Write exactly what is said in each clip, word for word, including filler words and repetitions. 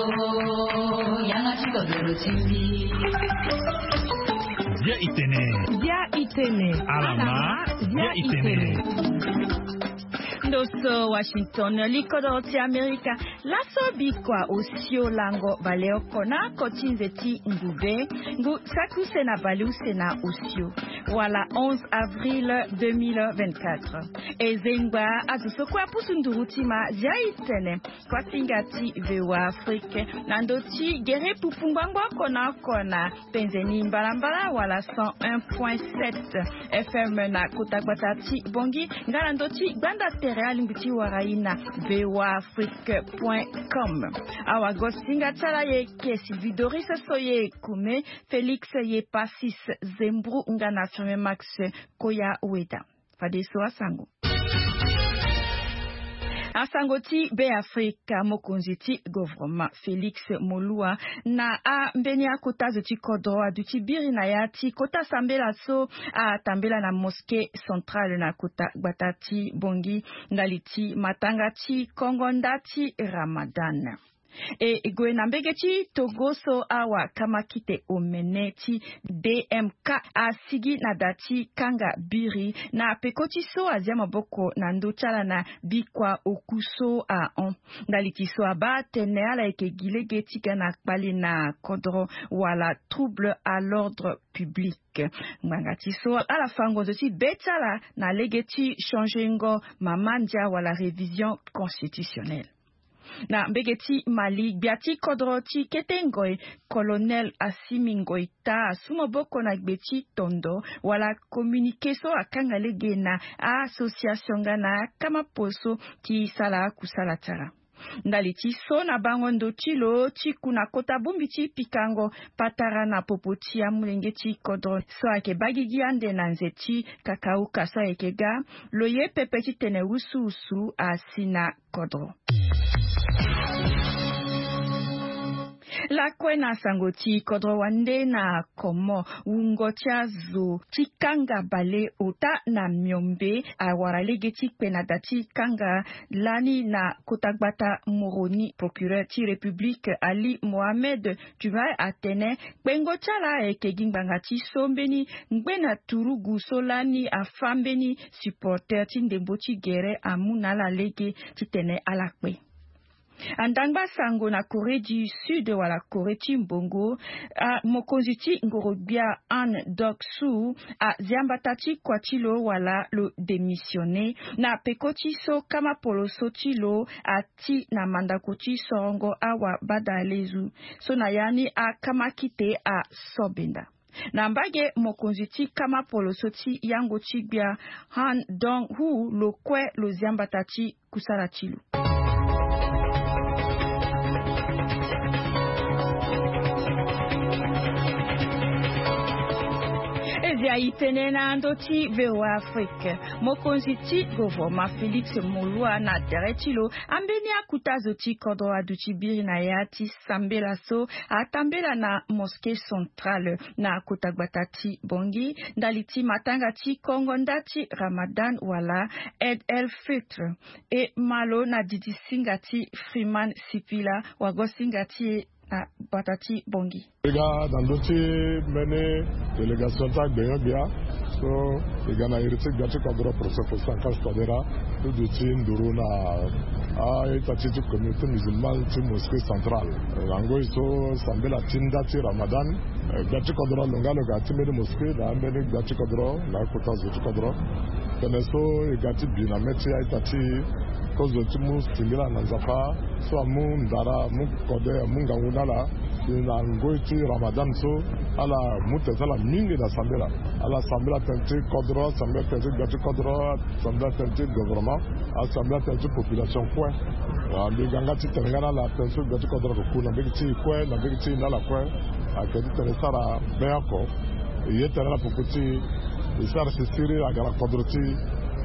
Yanga ti kodoro ti mbi. Bia itene. Bia itene. Alama. Bia itene. Ndo so Washington, li kodoro ti Amerika. Laso bikua osio lango baleoko na oko ti nze ti ngube, ngu saki use na baleuse na osio, wala onze avril deux mille vingt-quatre. E zengba azo so kue apusu nduru ti ma, zia itene. Kuasinga ti V O A Afrique na ndo ti gere pupu ngbangbo oko na oko na penze ni mbalambala wala cent un point sept F M na kota gbata ti Bongi, nga na ndo ti gbanda tere alingbi ti wara ye na V O A Afrique point com. Awagosinga ti ala ye ke Sylvie Doris, so ye kume Félix ye Passis Zembru nga na Firmin Max Koya Weda. Fadeso asango. Asango ti Beafrika, mokonzi ti gouvernement Félix Moloua na ambeni akota zo ti kodro aduti biri na ya ti kota sambela so atambela na mosquée centrale na kota gbata ti Bongi ndali ti matanga ti kongo nda ti Ramadan. E gue na mbege ti Togo so awa kamakite omene ti D M K asigi na da ti kanga biri na peko ti so azia maboko na ndö ti ala na bikua oku so ahon. Ndali ti so abaa atene ala yeke gi lege ti ga na kpale na kodro wala trouble à l'ordre public. Ngbanga ti so ala fa ngonzo ti be ti ala na lege ti changengo mama ndia wala révision constitutionnelle. Na mbege ti Mali, gbia ti kodro ti kete ngoi, Colonel Assimi Goïta asu maboko na gbe ti tondo wala communiqué so akanga lege na association nga na akama poso ti sala akusala ti ala. Ndali ti so na bango ndo ti lo ti ku na kota bongbi ti pikango patara na popo ti amolenge ti kodro so ayeke baa gigi ande na nze ti kakauka so ayeke ga, lo ye pepe titene wusuwusu asi na kodro. Lakue na sango ti kodro wande na Comores, wungo ti azo ti kanga baleota na miombe awara lege ti kpe na da ti kanga lani na kota gbata Moroni. Procureur ti République Ali Mohamed Djoumaï atene kpengo ti ala ayeke gi ngbanga ti so mbeni ngbene turugu so lani afa mbeni supporter ti ndembo ti gere amu na ala lege titene ala kpe. Andangba sango na Corée du Sud wala Corée ti mbongo, a, mokonzi ti ngoro-gbia Han Dok-su azia mbata ti kua ti lo wala lo démissionné na peko ti so kama poloso ti lo ati na mandako ti sorongo awa badalezu so na ya ni akama kite asobenda. Na mbage mokonzi ti kama poloso ti yango ti gbia Han Dong-hu lo kue lo zia mbata ti kusala ti lo. E zia itene na ndo ti V O A Afrique. Mokonzi ti gouvernement Félix Moloua na tere ti lo ambeni akuta zo ti kodro aduti biri na ya ti sambela so atambela na mosquée centrale na kota gbata ti Bangui ndali ti matanga ti kongo nda ti Ramadan wala Eid el Fitr. E ma lo na didi singa ti Freeman Sipila, wago singa ti e na gbata ti Bangui. E ga na ndö ti mbeni délégation ti agbenyo-gbia so e ga na iri ti gbia ti kodro, professeur Faustin Archange Touadéra, ti duti nduru na a-ita ti ti communauté musulmane ti mosquée centrale. Na ngoi so sambela ti nda ti Ramadan, eh, gbia ti kodro alonga lo ga ti mbeni mosquée na ambeni gbia ti kodro na akota zo ti kodro. Tënë so e ga ti bi na mê ti a-ita ti kozo ti mu singila na Nzapa so amu ndara, amu kode, amu ngangu na ala. Si na ngoi ti Ramadan so, ala mu tene ti ala mingi na sambela. Ala sambela tene ti kodro, asambela tene ti gbia ti kodro, asambela tene ti gouvernement, asambela tene ti population kue. Ah, mbi ga nga ti tene nga na ala tene so gbia ti kodro ayeke ku na mbage ti e kue, na mbage ti e na ala kue. Ayeke ti tene sara be oko. E ye tene na popo ti e, e sara sisiri aga na kodro ti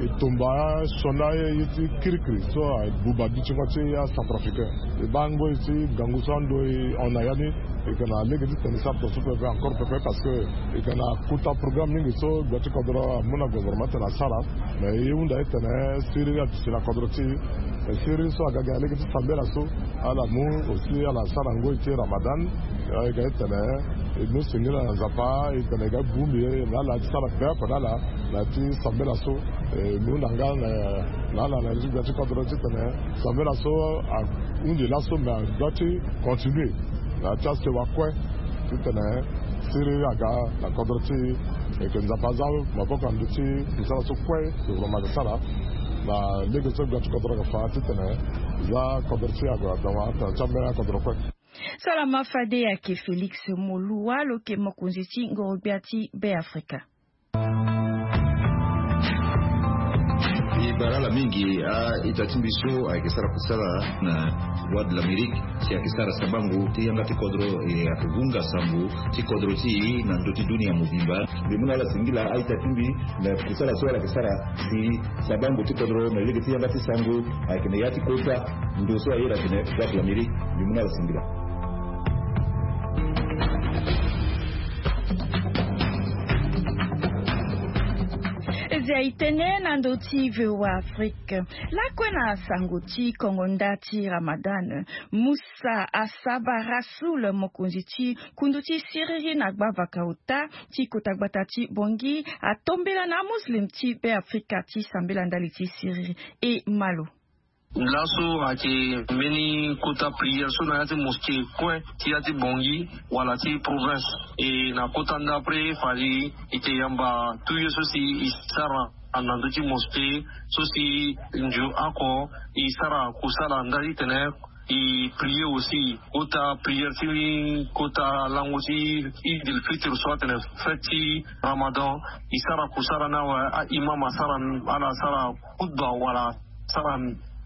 e. E tomba asioni aye ti kirikiri so abuba dutingo ti acentrafricain. E baa ngoi ti ngangu so ando e hon na ya ni. E yeke na lege ti tene e sara tongaso pepe encore pepe parce que e yeke na kota programme mingi so gbia ti kodro amu na gouvernement ti tene asara. Mais e hunda ti tene siriri aduti na kodro ti e. Mais siriri so aga gi na lege ti sambela so ala mu aussi ala sara ngoi ti ramadan. E ga ti tene e mu singila na nzapa e tene e ga bongbi e na ala ti sara pepe na ala na ya ti sambela so. E mu na nga na ala na ya ti gbia ti kodro ti tene sambela so ahundi laso mais adoit ti continuer na ya ti asewa kue. Titene siriri aga na kodro ti e. Yeke nzapa aza maboko na ndö ti kusala so kue gouvernement ayeke sara na lege so gbia ti kodro ayeke fa titene za kodro ti e ague adama tena ti ambeni akodro kue. Salama fade ayeke Félix Moluwa lo yeke mokonzi ti ngoro-gbia ti Beafrika. E bara ala mingi a-ita ti mbi so ayeke sara kusala na Voix de l'Amérique si ayeke sara sabango ti yanga ti kodro e ayeke vunga sango ti kodro ti e na ndö ti dunia mobimba. Mbi mu na ala singila a-ita ti mbi na kusala so ala yeke sara si sabango ti kodro na lege ti yanga ti sango ayeke na ya ti kota ndo so aye na tene Voix de l'Amérique. Mbi mu na ala singila. Eze aye tënë na ndö ti V O A Afrique. Lakue na sango ti kongo nda ti Ramadan, Musa Asaba Rasoul, mokonzi ti kundu ti siriri na gbavaka ota ti kota gbata ti Bangui, atombela na amuslim ti Beafrika ti sambela ndali ti siriri. E ma lo. Laso ayeke mbeni kota prière so na ya ti mosquée kue ti ya ti Bangui wala ti province. E na kota nda après fade e yeke yamba tout ye so si e sara na ndö ti mosquée so si nzu oko e sara kusala nda titene e prier aussi. Kota prière ti kota lango ti Eid el Fitr so atene fête ti Ramadan, e sara kusala ni awe. A-imam asara, ala sara khutba wala sara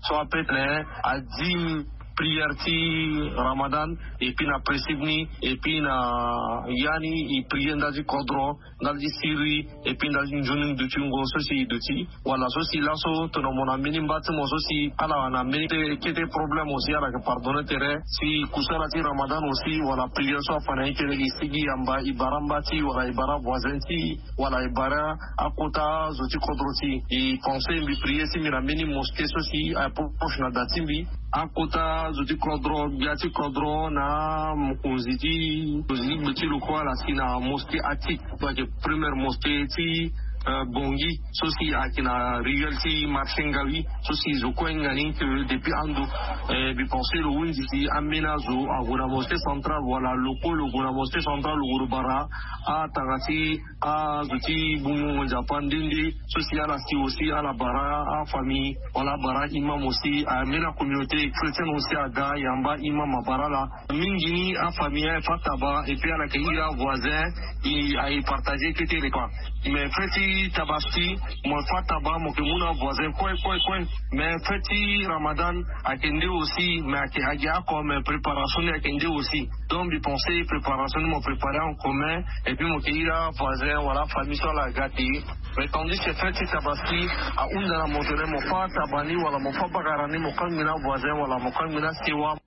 so ape tene a dîme, prière ti Ramadan, et puis na principe ni, et puis na ya ni e prier nda ti kodro, nda ti siriri, et puis nda ti nzoni dutingo so si e duti. Wala so si laso tongana mo na mbeni mba ti mo so si ala na mbeni kete problème aussi ala yeke pardonner tere. Si kusala ti Ramadan aussi wala prière so afa na ye tene e sigi yamba e bara mba ti wala e bara voisin ti wala e bara akota zo ti kodro ti e. E pensé mbi prier ti mbi na mbeni mosquée so si aye proche na da ti mbi. Akota zo ti kodro, gbia ti kodro na mokonzi ti, mokonzi ti gbe ti lo kue ala si na mosquée Atik. Donc première mosquée ti, euh, Bangui so si ayeke na ruelle ti marché Ngawi so si zo kue hinga ni ke depuis ando. Eh, mbi pensé lo hunzi si ambeni azo ague na mosquée centrale wala lo kue lo gue na mosquée centrale lo gue lo bara atanga ti azo ti bungbungo nzapa nde nde so si ala si aussi ala bara afamille wala abara imam aussi, ambeni acommunauté chrétienne aussi aga yamba imam abara ala. Mingi ni afamille aye fa taba et puis ala yeke iri avoisin. E aye partager kete repas. Mais fête ti tabaski mo fa taba mo yeke mu na avoisin kue kue kue. Mais fête ti Ramadan ayeke nde aussi mais ayeke agi oko mais préparation ni ayeke nde aussi. Donc mbi pensé préparation ni mo préparer en commun et puis mo yeke iri avoisin wala afamille so ala ga te. Mais tandis que fête ti tabaski ahunda na mo tene mo fa taba ni wala mo fa bagara ni mo kangbi na avoisin wala mo kangbi na sewa.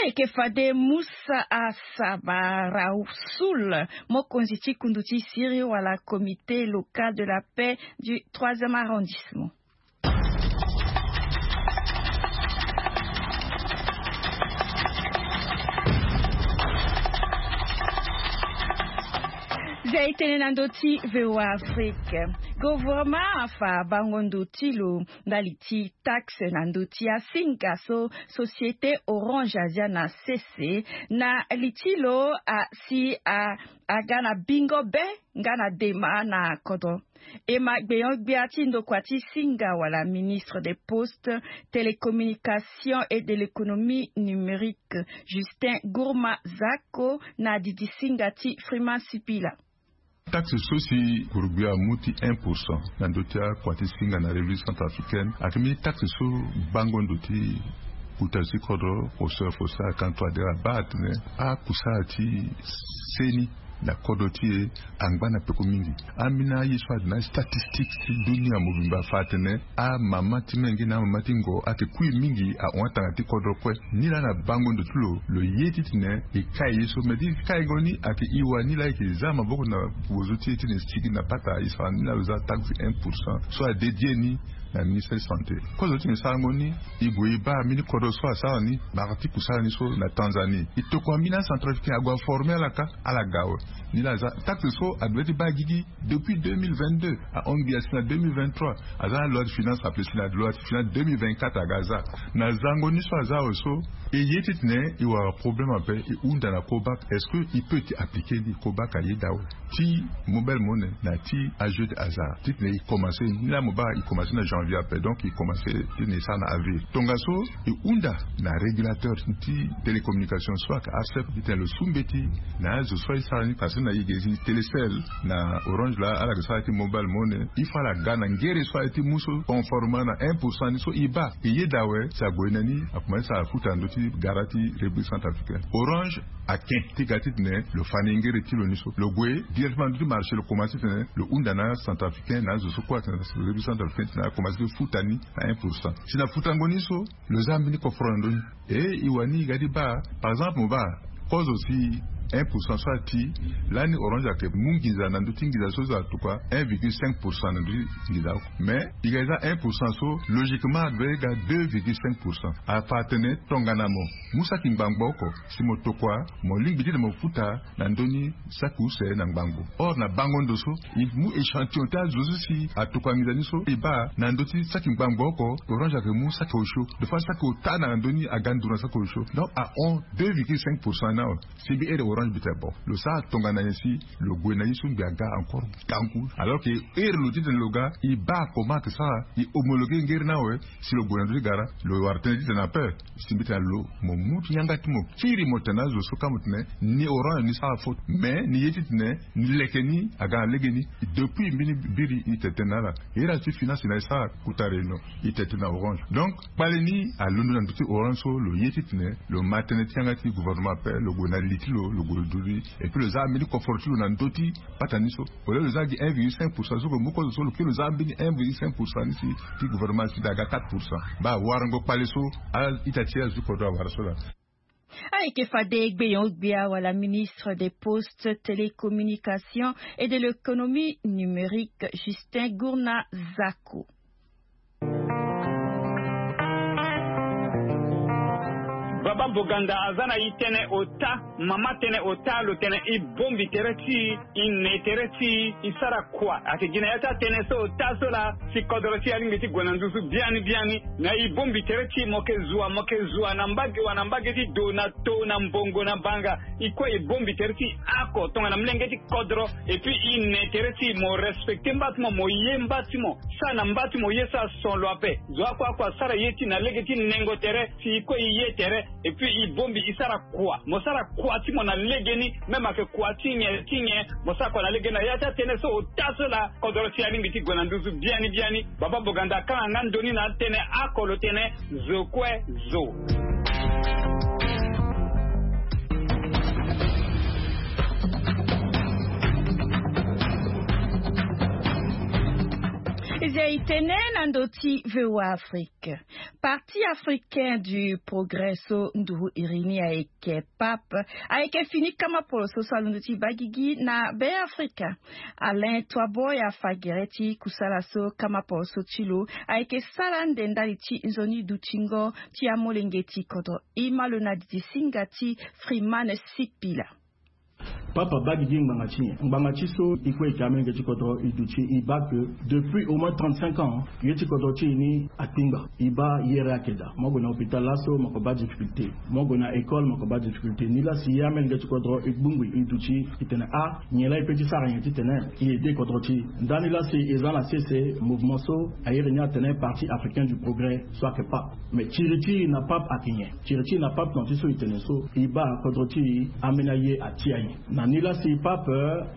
Ayeke fade Musa Asaba Rasoul, mokonzi ti kundu ti siriri wala comité local de la paix du troisième arrondissement. Zia e tene na ndö ti V O A Afrique. Gouvernement afa bango ndo ti lo ndali ti taxe na ndö ti asinga so société Orange azia na sese na li ti lo asi a aga na bingo be nga na dema na kodro. E ma gbenyo-gbia ti ndokua ti singa wala ministre des postes, télécommunications et de l'économie numérique, Justin Gourma Zako na didi singa ti Freeman Sipila. Taxe so si gurugbi amu ti un pour cent na ndö ti akua ti singa na République centrafricaine ayeke mbeni taxe so bango ndo ti kota zo ti kodro. Kosoro fo sara kanto adere abaa atene akusala ti seni Na kodro ti e angba na peko mingi. Ambeni aye so ade na statistique ti dunia mobimba afa atene amama ti menge na amama ti ngo ayeke kui mingi ahon atanga ti kodro kue. Nilaa na bango ndo ti lo lo ye titene e kai ye so me ti kai ngo ni ayeke e wani laa e yeke za maboko na bozo ti e titene e sigi na pata e sara nilaa lo za taxe un pour cent so adédie ni na ministre santé. Kozo ti me sarango ni e gue e baa mbeni kodro so asara ni. Bara ti kusala ni so na Tanzanie e tokua mbeni acentrafricain ague aforme ala ka ala ga awe. Ni laa aza taxe so ague ti baa gigi depuis deux mille vingt-deux ahon gi asi na deux mille vingt-trois. Aza na loi de finance ape si na loi de finance deux mille vingt-quatre aga aza na zango ni so aza awe so e ye titene e wara problème ape e hunda na kobak est-ce que e peut ti appliquer ni kobak ayeda awe ti mobile monnaie na ti ajeu de hasard titene e commence ni laa mo baa e commence na janvier ape donc e commence titene e sara na avril tongaso e hunda na régulateur ti télécommunication so ayeke arcep titene lo su mbeti na azo so aye sara ni parce que na e ge si télécel na orange laa ala yeke sara ti mobile monnaie il faut ala ga na ngere so aye ti mu so conformant na un pour cent ni so e baa e yeda awe si ague na ni akomanse sara futa na ndö ti gara ti république centrafricaine orange ake ti ga titene lo fa ni ngere ti lo ni so lo gue directement na ndö ti marché lo komanse titene lo hunda na centrafricain na azo so kue atene république centrafricaine titene akomanse ti futa ni na un pour cent si na futango ni so lo za mbeni koforo na ndö ni. E e wani e ga ti baa par exemple mo baa kozo si un pour cent so ati lani orange ayeke mu nginza na ndö ti nginza so zo atokua un virgule cinq pour cent na ndö ti nginza oko mais e ga e za un pour cent so logiquement adoit e ga deux virgule cinq pour cent afa atene tongana mo mu saki ngbangbo oko si mo tokua mo lingbi ti tene mo futa na ndö ni saki use na ngbangbo or na bango ndo so e mu échantillon ti azo so si atokua nginza ni so e baa na ndö ti saki ngbangbo oko orange ayeke mu saki osio de fois saki ota na ndö ni aga nduru na saki osio donc ahon deux virgule cinq pour cent ni awe si mbi ere orange mbi tene bon lo sara tongana nyen si lo gue na ye so mbi aga encore ngangu alors que ere lo titene lo ga e baa comment ayeke sara e homologuer ngere ni awe si lo gue na ndö ti gara lo wara tënë titene ape si mbi tene lo mo mu ti yanga ti mo kiri mo tene na azo so ka mo tene ni orange ni sara faute mais ni ye titene ni leke ni aga na legeni depuis mbeni biri e tene tënë na ala ere azo ti finance na e sara kota réunion e tene tënë na orange donc kpale ni alondo na ndö ti orange so lo ye titene lo ma tënë ti yanga ti gouvernement ape lo gue na li ti lo lo gue lo duti et puis lo za ambeni koforo ti lo na ndö ti pata ni so au lieu lo za gi un virgule cinq pour cent so ke mu kozo so lo ke lo za ambeni un virgule cinq pour cent ni si ti gouvernement si da ga quatre pour cent baa warango kpale so a ita ti azo ti kodro awara so laa. Ayeke fade gbeyon gbia wala ministre des postes, télécommunications et de l'économie numérique, Justin Gourna Zako. Baba Boganda aza na e tënë ota, mama tënë ota lo tene e bongbi tere ti e, e ne tere ti e, e sara kua. Ayeke gi na ya ti atënë so ota so laa si kodro ti e alingbi ti gue na nduzu biani biani. Na e bongbi tere ti e mo yeke zua mo yeke zua na mbage wa na mbage ti do na to na mbongo na banga. E kue e bongbi tere ti e oko tongana molenge ti kodro. Et puis e ne tere ti e mo respecter mba ti mo, mo ye mba ti mo, sara na mba ti mo ye so ason lo ape. Zo oko oko asara ye ti e na lege ti nengo tere si e kue e ye tere. Et puis e bongbi e sara kua, mo sara kua ti mo na legeni. Même ayeke kua ti nyen ti nyen, mo sara kua na legeni na ya ti atënë so ota so laa kodro ti e alingbi ti gue na nduzu biani biani. Baba Boganda akanga nga ndoni na atënë oko lo tene zo kue zo. Eza e tene na ndö ti V O A Afrique. Parti africain du progrès so nduru iri ni ayeke pap ayeke fini kama poroso so alondo ti baa gigi na Be Afrika. Alain Toiboy afa gere ti kusala so kama poroso ti lo ayeke sara nde ndali ti nzoni dutingo ti amolenge ti kodro. E ma lo na didi singa ti Freeman Sipila. Papa abaa gigi ngbanga ti nyen? Ngbanga ti so e kue e yeke amolenge ti kodro e duti e baa ke depuis au moins trente-cinq ans ye ti kodro ti e ni akpingba. E baa yere ayeke daa. Mo gue na hôpital laso mo yeke baa difficulté. Mo gue na école mo yeke baa difficulté. Nilaa si ye amolenge ti kodro e gbungbi e duti e tene ah nyen laa e peut ti sara nyen titene e aidé kodro ti e. Ndani laa si e za na sese mouvement so a iri ni atene Parti africain du progrès so ayeke pap. Mais tiri ti e na pap ayeke nyen? Tiri ti e na pap na ti so e tene so e baa kodro ti e ambeni aye atia nyen? Na ni laa si pap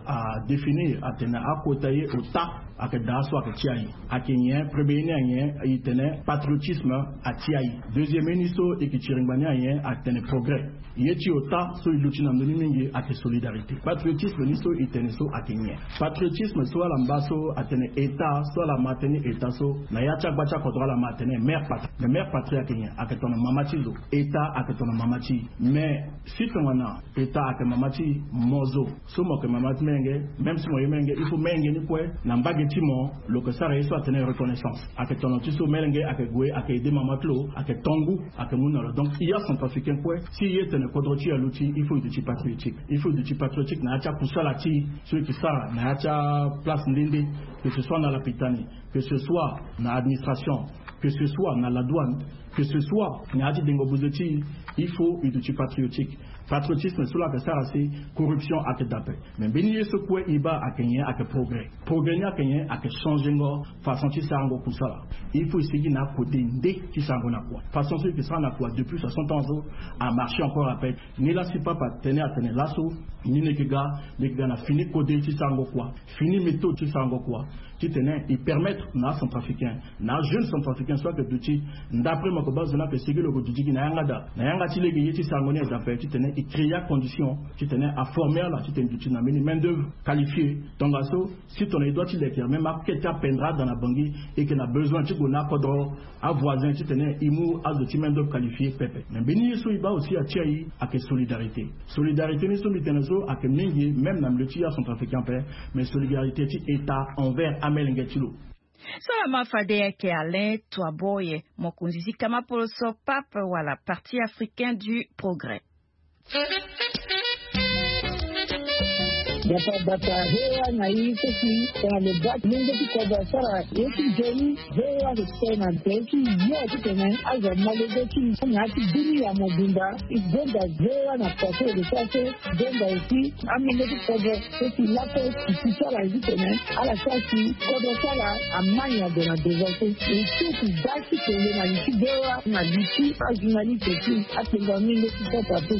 a définir atene akota ye ota Ayeke daa so ayeke ti aye. Ayeke nyen? Premier ni anyen? E tene patriotisme. Ati aye. Deuxième ni so e yeke ti ringba ni anyen? Atene progrès. Ye ti ota so e luti na ndö ni mingi ayeke solidarité. Patriotisme ni so e tene so ayeke nyen? Patriotisme so ala mba so atene état so ala ma tënë ni état so, na ya ti agba ti akodro ala ma atene mère patrie. Mais mère patrie ayeke nyen? Ayeke tongana mama ti zo. État ayeke tongana mama ti e. Mais si tongana état ayeke mama ti e, mo zo so mo yeke mama ti menge, même si mo ye menge, il faut menge ni kue na mbage ti mo lo yeke sara ye so atene reconnaissance. Ayeke tono ti so menge ayeke gue ayeke aide mama ti lo, ayeke to ngu, ayeke mu na lo. Donc i ya centrafricain kue, si i ye tene kodro ti e aluti, il faut i duti patriotique. Il faut i duti patriotique na ya ti akusala ti e so i yeke sara na ya ti aplace nde nde, que ce soit na lapitani, que ce soit na administration, que ce soit na la douane, que ce soit na ya ti dengo buze ti e, il faut i duti patriotique. Patriotisme so la ayeke sara si corruption ayeke daa ape. Mais mbeni ye so kue e baa ayeke nyen? Ayeke progrès. Progrès ni ayeke nyen? Ayeke changengo façon ti sarango kusala. Il faut e sigi na akode nde ti sarango na kua. Façon so e yeke sara na kua depuis soixante ans so amarche encore ape. Ni la si papa atene atene laso ni ni yeke ga, ni yeke ga na fini kode ti sarango kua, fini méthode ti sarango kua, titene e permettre na acentrafricain, na ajeune centrafricain so ayeke duti, ndapre mo yeke baa zo ni ayeke sigi lo yeke duti gi na yanga daa, na yanga ti lege ye ti sarango ni aye daa ape, titene e créer acondition titene aformer ala titene duti na mbeni main d'œuvre qualifiée. Tongaso si tongana e doit ti leke même akete apendre ada na bangi, e yeke na besoin ti gue na akodro, avoisin titene e mu azo ti main d'œuvre qualifiée pepe. Mais mbeni ye so e baa aussi atia e ayeke solidarité. Solidarité ni so mbi tene so ayeke mingi même na milieu ti acentrafricain ape, mais solidarité ti état envers amolenge ti lo. So laa ma fade ayeke Alain Toiboye, mokonzi ti kama poloso, pape wala Parti africain du progrès. Bata bata, he wa na i so si tongana lo baa ti lenge ti kodro asara ye ti nzoni, he wa lo tene na nze ti yo titene azo amolenge ti na ya ti dunia mobimba. E gonda he wa na kua so lo sara so, gonda aussi amolenge ti kodro so si laso e si sara ye titene ala sara si kodro ti ala amai na gue na devant so. E so e si baa ti tene na li ti he wa na li ti ajournaliste ti apengo amolenge ti sasa so.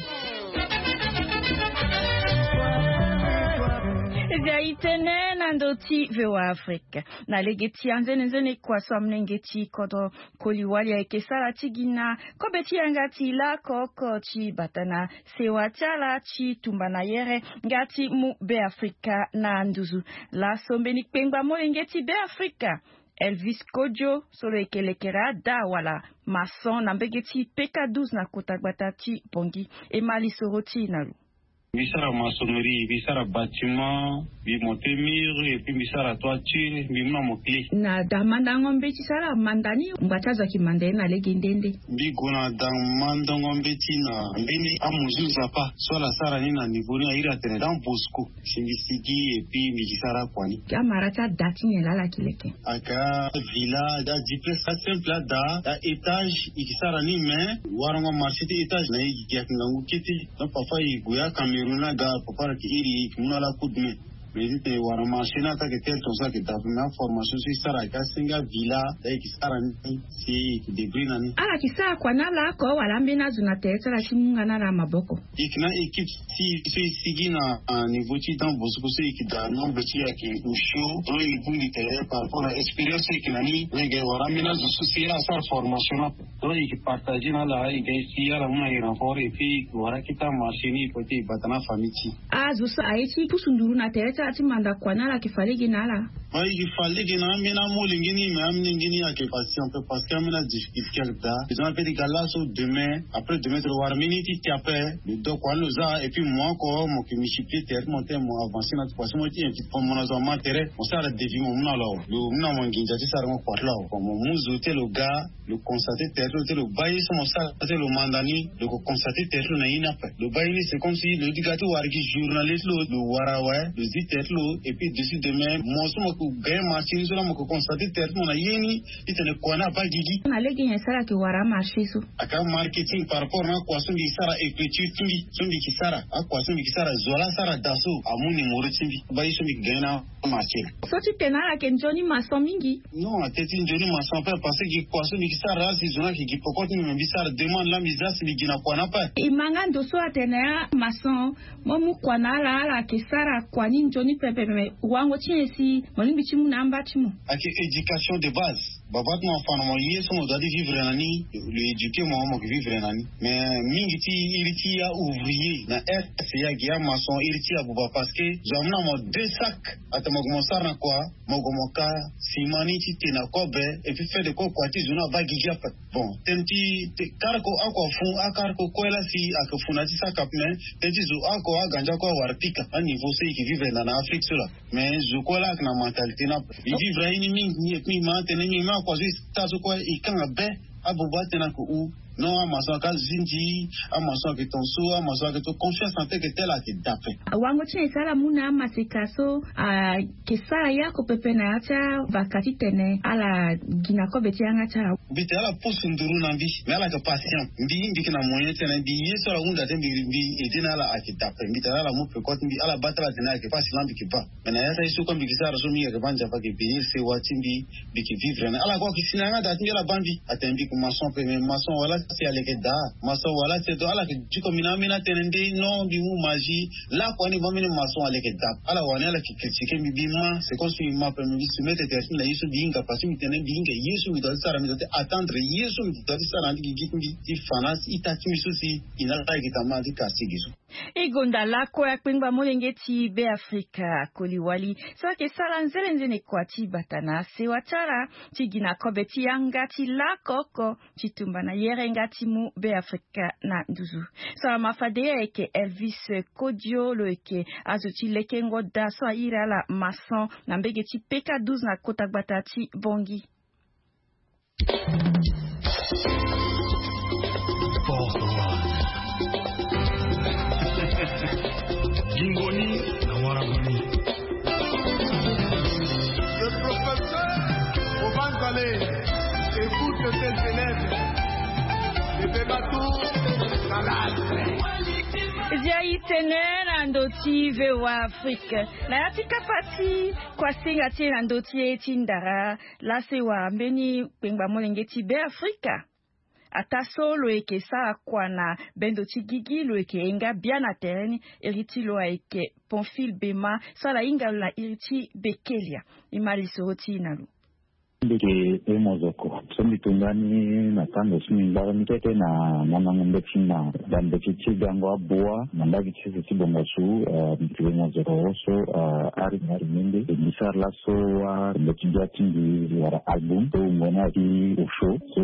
Zia e tene na ndö ti V O A Afrique. Na lege ti anzenenzene kua so amolenge ti kodro koli wali ayeke sara ti gi na kobe ti yanga ti laoko oko ti bata na sewa ti ala ti tumba na yere nga ti mu Beafrika na nduzu. Laso mbeni kpengba molenge ti Beafrika, Elvis Kodjo, so lo yeke lekere ada wala maçon na mbege ti P K douze na kota gbata ti Bangui, e ma lisoro ti e na lo. Mbi sara maçonnerie, mbi sara bâtiment, mbi monte mur, et puis mbi sara toiture, mbi mu na mo clé. Na da mandango mbeti so ala manda ni, ngba ti azo ayeke manda ye na lege nde nde? Mbi gue na da mandango mbeti na mbeni amozu nzapa so ala sara ni na niveau ni, a iri atene Don Bosco. Si mbi sigi et puis mbi yeke sara kua ni. Amara ti ada ti nyen laa ala yeke leke? Aka villa, da dix places, asimple ada, da étage, e yeke sara ni, mais warango marché ti étage na e gi ayeke ngangu kete. Donc parfois e gue aCameroun aga, parfois ala yeke iri e yeke mu na ala coup de main. Mais e titene wara marché ni ataa ayeke tel tongaso ayeke daa ape, mais aformation so e sara ayeke asenge avilla, da e yeke sara ni si e yeke débrouiller na ni. Ala yeke sara kua na ala oko wala ambeni azo na tere ti ala ti mu nga na ala maboko? E yeke na équipe ti e so e sigi na, ah, niveau ti Don Bosco so e yeke daa nombre ti e ayeke osio. Donc e bongbi tere par rapport na expérience so e yeke na ni. Lege wara ambeni azo so si ala sara formation ni ape. Donc e yeke partager na ala, e ga e si ala mu na e renfort, et puis e yeke wara akete amarché ni, e kue ti e bata na afamille ti e. Azo so aye ti pusu nduru na tere ti ala ti manda kua na ala, ayeke fa lege na ala? Ba e yeke fa lege na ambeni amolenge ni, mais amolenge ni ayeke patient ape parce que ambeni adifficulté ayeke daa. Besoin ape ti ga laso demain, après demain ti lo wara mbeni ti ti ape, lo do kua ni lo za, et puis mo oko mo yeke multiplier tere ti mo tene mo avancer na ti kua so mo ti invite mo na zo ama tere, mo sara devis mo mu na lo awe. Lo mu na mo nginza ti sarango kua ti lo awe. Mo mu zo ti lo ga, lo constater tere ti lo, ti lo baa ye so mo sara ti lo manda ni, lo ko constater tere ti lo na ye ni ape. Lo baa ye ni, c'est comme si lo di ga ti wara gi journalier ti lo, lo wara awe, lo zi tere ti lo, et puis dessus demain mo so mo ko gagne marché ni so laa mo ko constater tere ti mo na ye ni, titene kua ni abaa gigi. Na lege nyen so ala yeke wara amarché so? Aka marketing par rapport na akua so mbi sara, écriture ti mbi so mbi yeke sara, akua so mbi yeke sara, zo laa asara daa so amu numéro ti mbi, baa ye so mbi yeke gagne na marché. So ti tene ala yeke nzoni maçon mingi? Non, atene ti nzoni maçon ape parce que gi kua so mbi yeke sara laa si zo ni ayeke gi peko ti mbi, mais mbi sara demande laa mbi za si mbi gi na kua ni ape. E ma nga ndo so atene amaçon mo mu kua na ala, ala yeke sara kua ni nzoni. Ni pepe me wango ti nyen si mo lingbi ti mu na amba ti mo? Ayeke éducation de base. Baba ti mo afa na mo ye so mo doit ti vivre na ni. Lo éduquer mo, mo yeke vivre na ni. Mais mingi ti iri ti aouvrier na est, ya gi amaçon, iri ti abuba, parce que zo amu na mo deux sacs, atene mo gue mo sara na kua? Mo gue mo ka sima ni ti te na kobe. Et puis fait de quoi, kua ti zo ni aba gigi ape. Bon, tënë ti kareko oko afu, akareko kue laa si ayeke fu na ya ti sac ape, mais tënë ti zo oko aganza oko awara pika aniveau so e yeke vivre na na Afrique so laa. Mais zo kue laa ayeke na mentalité ni ape. E vivre aye ni mingi, e mingi ma atene mingi ma akua so e sara so kue e kanga be. Abobo atene ayeke hu. Non, amaçon aka zindi, amaçon ayeke tongaso, amaçon ayeke to confiance na teke tel ayeke daa ape. Wango ti nyen si ala mu na amaseka so ayeke sara ya oko pepe na ya ti avaka titene ala gi na kobe ti yanga ti ala? Mbi tene ala pusu nduru na mbi, mais ala yeke patient. Mbi, mbi yeke na moyen ti tene mbi ye so ala hunda te, mbi, mbi aidé na ala ayeke daa ape. Mbi tene ala mu peko ti mbi, ala baa ti ala tene ayeke pasi laa mbi yeke baa. Mais na ya ti aye so kue mbi yeke sara so, mbi yeke baa Nzapa ayeke bénir sewa ti mbi, mbi yeke vivre na ala kue ayeke si na yanga daa ti mbi, ala baa mbi. Atene mbi yeke maçon ape, mais maçon wala si aleke daa, maçon wala si do, ala yeke diko mbi na ambeni atënë nde non, mbi mu magie. Lakua ni baa mbeni maçon aleke daa. Ala wani ala yeke critiquer mbi, mbi ma, c'est comme si mbi ma ape, mais mbi soumettre tere ti mbi na ye so mbi hinga, parce que mbi tene mbi hinga ye so mbi doit ti sara, mbi doit ti attendre ye so mbi doit ti sara na ya ti gigi ti mbi ti fa na ita ti mbi so si e na ala yeke tambula na ya ti quartier ge so. E gonda lakue akpengba molenge ti Beafrika, Koliwali, so ayeke sara nzene nzene kua ti bata na sewa ti ala ti gi na kobe ti yanga ti laoko oko ti tumba na yerenga ti mu Beafrika na nduzu. So ala ma fade ye ayeke Elvis Kodio, lo yeke azo ti lekengo daa so airi ala maçon na mbege ti P K douze na kota gbata ti Bangui. Gingo ni na wara ngoni. Le professeur Obanzale écoute ses élèves. Bebe Batou, Salal. Zia itene na ndo ti V O A Afrique. Na ya ti kapa ti kuasinga ti e na ndo ti e ti ndara, laa so e wara mbeni kpengba molenge ti Beafrika. Ataa so lo yeke sara kua na bendo ti gigi, lo yeke hinga bia na tere ni. Iri ti lo ayeke Pamphile Bema, so ala hinga lo na iri ti Bekelia. E ma lisoro ti e na lo. Mbi yeke Emos Oko. So mbi tongani na tango so mbi ngbara ni kete na mandango mbeti na bambeti ti gango abua na mbage ti sese ti bongasu. Eh, mbi yeke Emos Oko so, eh, ari na ari mende. E mbi sara laso so wa mbeti bia ti mbi wara album so wungo ni ayeke Osho. So,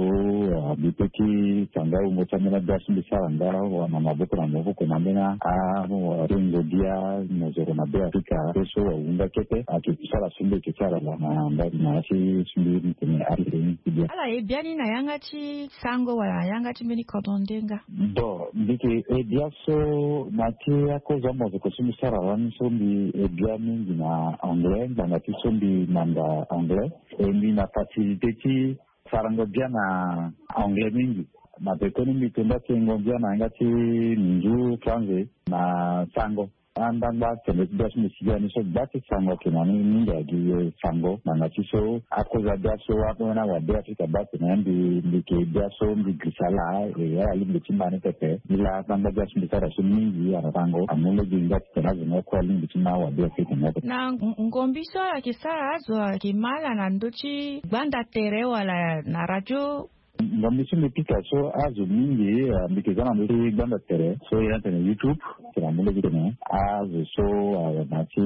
ah, mbi peut ti tanga wungo ti ambeni abia so mbi sara nga wa na maboko na maboko na ambeni a, ah, rengo bia mozoro na Beafrika. So, so wa wunga kete ayeke sara so mbi yeke sara la na mba na ya ti so mbi tene ari rengo bia. Ala ye bia ni na yanga ti sango wala na yanga ti mbeni kodro ndenga? Bon, mbi yeke e bia so na ti akozo amozoko so mbi sara lani so mbi e bia mingi na anglais, ngbanga ti so mbi manda anglais. E mbi na facilité ti sarango bia na anglais mingi. Na pekoni mbi to nda ti yengo bia na yanga ti minzu, français na sango. Andangba tene ti bia so mbi si bia ni so gba ti sango ayeke na ni mingi agi sango. Ngbanga ti so akozo abia so ambeni awabe Afrika baa tene mbi, mbi yeke bia so mbi girisa laa, e ala lingbi ti ma ni pepe. Nilaa andangba bia so mbi sara so mingi ana sango. Amu lege nga ti tene azo ni oko alingbi ti ma awabe Afrika ni ape. Na ngombi so ala yeke sara azo ayeke ma ala na ndö ti gbanda tere wala na radio? Ngombi so mbi pika so azo mingi, ah, mbi yeke za na ndö ti gbanda tere so ye ni atene YouTube. Tene amu lege tene azo so, ah, na ya ti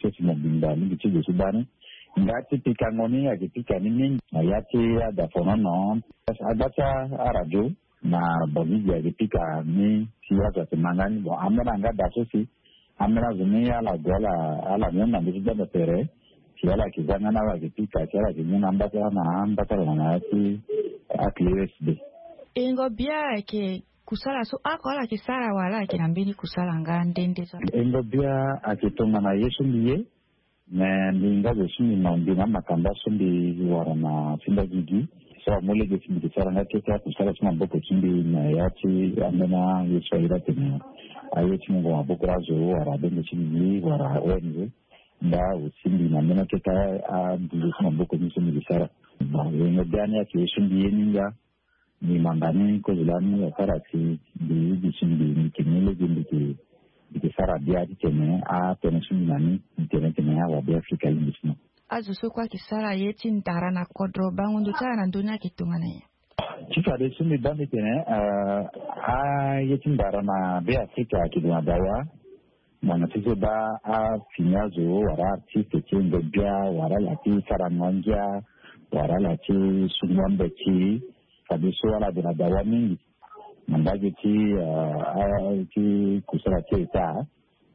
sese mobimba alingbi ti gue ti baa ni. Nga ti pikango ni ayeke pika ni mingi na ya ti adafonono, agba ti aradio na Bangi ge ayeke pika ni si azo ayeke ma nga ni. Bon, ambeni anga daa so si ambeni azo ni ala gue ala, ala mu na ndö ti gbanda tere si ala yeke za nga ni awe ayeke pika si ala yeke mu na amba ti ala na amba ti ala na ya ti akili U S B. Yengo bia ayeke kusala so oko ala yeke sara wala ala yeke na mbeni kusala nga nde nde so? Yengo bia ayeke tongana ye so mbi ye. Me mbi nga zo so mbi ma mbi na amakanda so mbi wara na ti nda gigi. So amu lege si mbi yeke sara nga kete akusala ti maboko ti mbi na ya ti ambeni aye so aye atene aye ti mungo maboko azo wala abenge ti gigi wala O N G. Nda aussi mbi na mbeni akete aduzo ti maboko ni so mbi yeke sara. Bon, yengo bia ni ayeke ye so mbi ye ni nga. Mbi manda ni kozo lani asara si mbi, mbi si mbi, mbi yeke mu lege mbi yeke Mbi ke sara bia titene atënë so mbi na ni, mbi tene titene awa Be Afrika alingbi ti mo. Azo so kue ayeke sara ye ti ndara na kodro, bango ndo ti ala na ndö ni ayeke tongana nyen? Ti fadeso mbi baa mbi tene, eh, aye ti ndara na Be Afrika ayeke gue na dawa. Mo na ti so baa afini azo wala artiste ti e ngbia wala ala ti sarango angia wala ala ti sungo ambeti. Fadeso ala gue na dawa mingi na mbage ti, eh, a, ti kusala ti État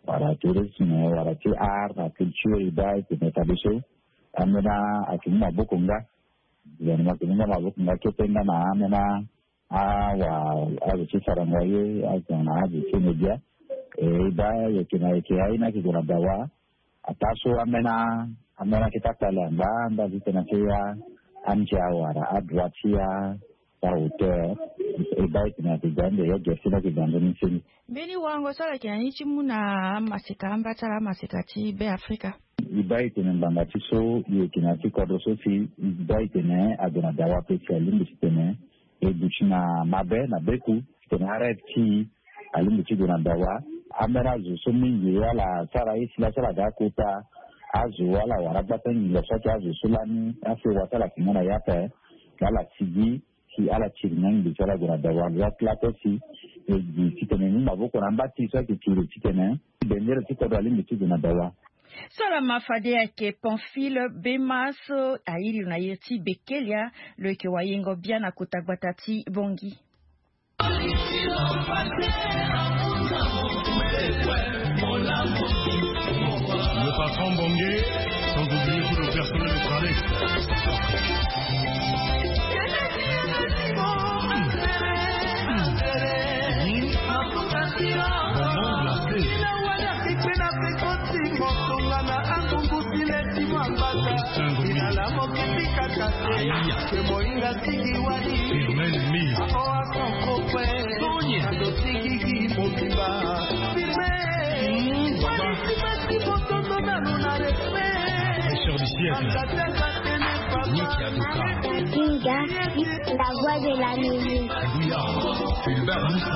wala tourisme wala ti art na culture. E baa e tene fadeso ambeni ayeke mu maboko nga. Gouvernement ayeke mu nga maboko nga kete nga na ambeni awa azo ti sarango aye, azo na azo ti média. E baa e yeke na yeke aye ni ayeke gue na dawa. Ataa so ambeni, ambeni ayeke ti akpale angba anda ti tene ayeke ya andia wala adroit ti ya ahauteur. E baa e tene ayeke ga ande ya gere ti ni ayeke ga nzoni ti ni. Mbeni warango so ala yeke na ni ti mu na amaseka amba ti ala amaseka ti Be Afrika. E baa e tene ngbanga ti so e yeke na ya ti kodro so si e baa e tene ague na dawa ape si alingbi titene e duti na mabe na beku titene arêve ti e alingbi ti gue na dawa. Ambeni azo so mingi ala sara ye si laso ala ga akota azo ala wara gbata nginza so ayeke azo so lani asewa ti ala si nga na ye ape. Ala sigi si ala tiri ni angbi ti ala gue na dawa. Ala kila ape si e gi titene e mu maboko na amba ti e so ayeke tiri titene bendere ti kodro alingbi ti gue na dawa. So ala ma fade ayeke Pamphile Bema so airi lo na iri ti Bekelia, lo yeke wayengo bia na kota gbata ti Bangui. Le patron Bongué, sans oublier tout le personnel de Tranex. Bonbon glacé. Augustin Gomis. Firmin Lee. Richard du siècle. Nick Aduka. Kinga, la voix de l'Amérique. Abuya, Fulbert Moussa.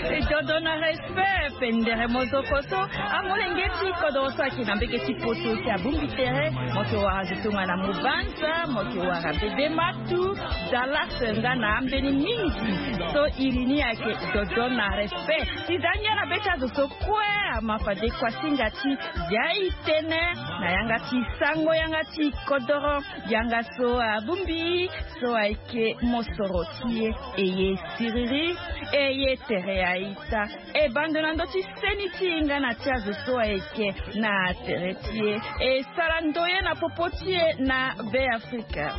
E dodo na respect, pendere mozoko so amolenge ti kodro so ayeke na mbege ti poto si abongbi tere, mo yeke wara zo tongana Mobanza, mo yeke wara Bebe Matou, Dallas nga na ambeni mingi. So iri ni ayeke dodo na respect. Si za ngia na be ti azo so kue ama fade kuasinga ti ya e tene na yanga ti sango yanga ti kodoro. Yanga so abongbi so ayeke mosoro ti e, e ye siriri, e ye tere aita. E bando na ndö ti seni ti e nga na ti azo so ayeke na tere ti e, e sara ndoye na popo ti e na Be Afrika.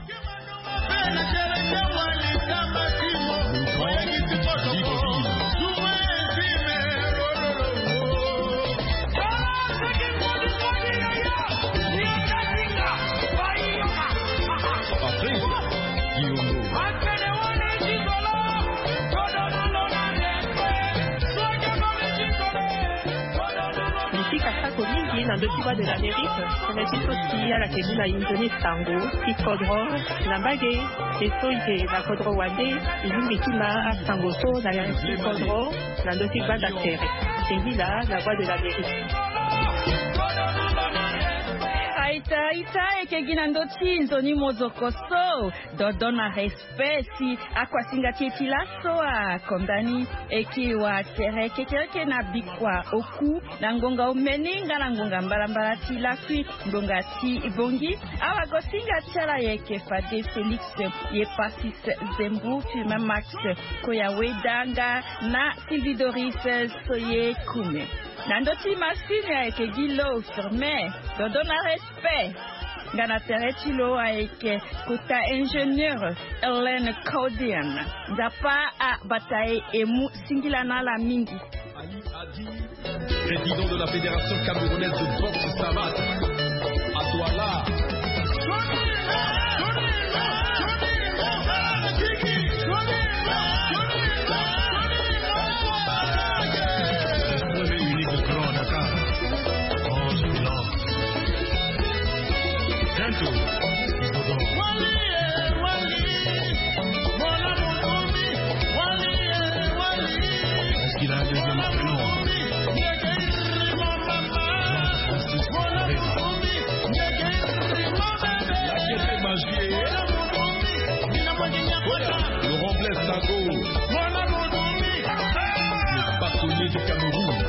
Bisika sako mingi na ndö ti Voix de l'Amérique, tënë ti so si ala yeke mu na inzo ni sango ti kodro na mbage. E so e yeke na kodro wande, e lingbi ti ma asango so na yanga ti kodro na ndö ti gbanda tere. E ngila na Voix de l'Amérique. Aita, aita, e yeke gi na ndö ti nzoni mozoko so. Dodo na respect si akuasinga ti e ti laso akonda ni. E yeke wa tere kekereke na bikua oku na ngonga omeni nga na ngonga mbalambala ti lakui, ngonga ti bongi. Awagosinga ti ala yeke fade Félix Yepasis Zembu, Firmin Max Koyaweda nga na Sylvie Doris Soye Kume. Na ndö ti masini ayeke gi lo Firmin. Dodo na respect. Nga na tere ti lo ayeke kota ingénieur Hélène Caudian. Nzapa abata e, e mu singila na ala mingi. Président de la Fédération camerounaise de boxe savate, à Douala. Premier unique de Grand Dakar. Oh, c'est long. Bientôt. Sonnet du Cameroun.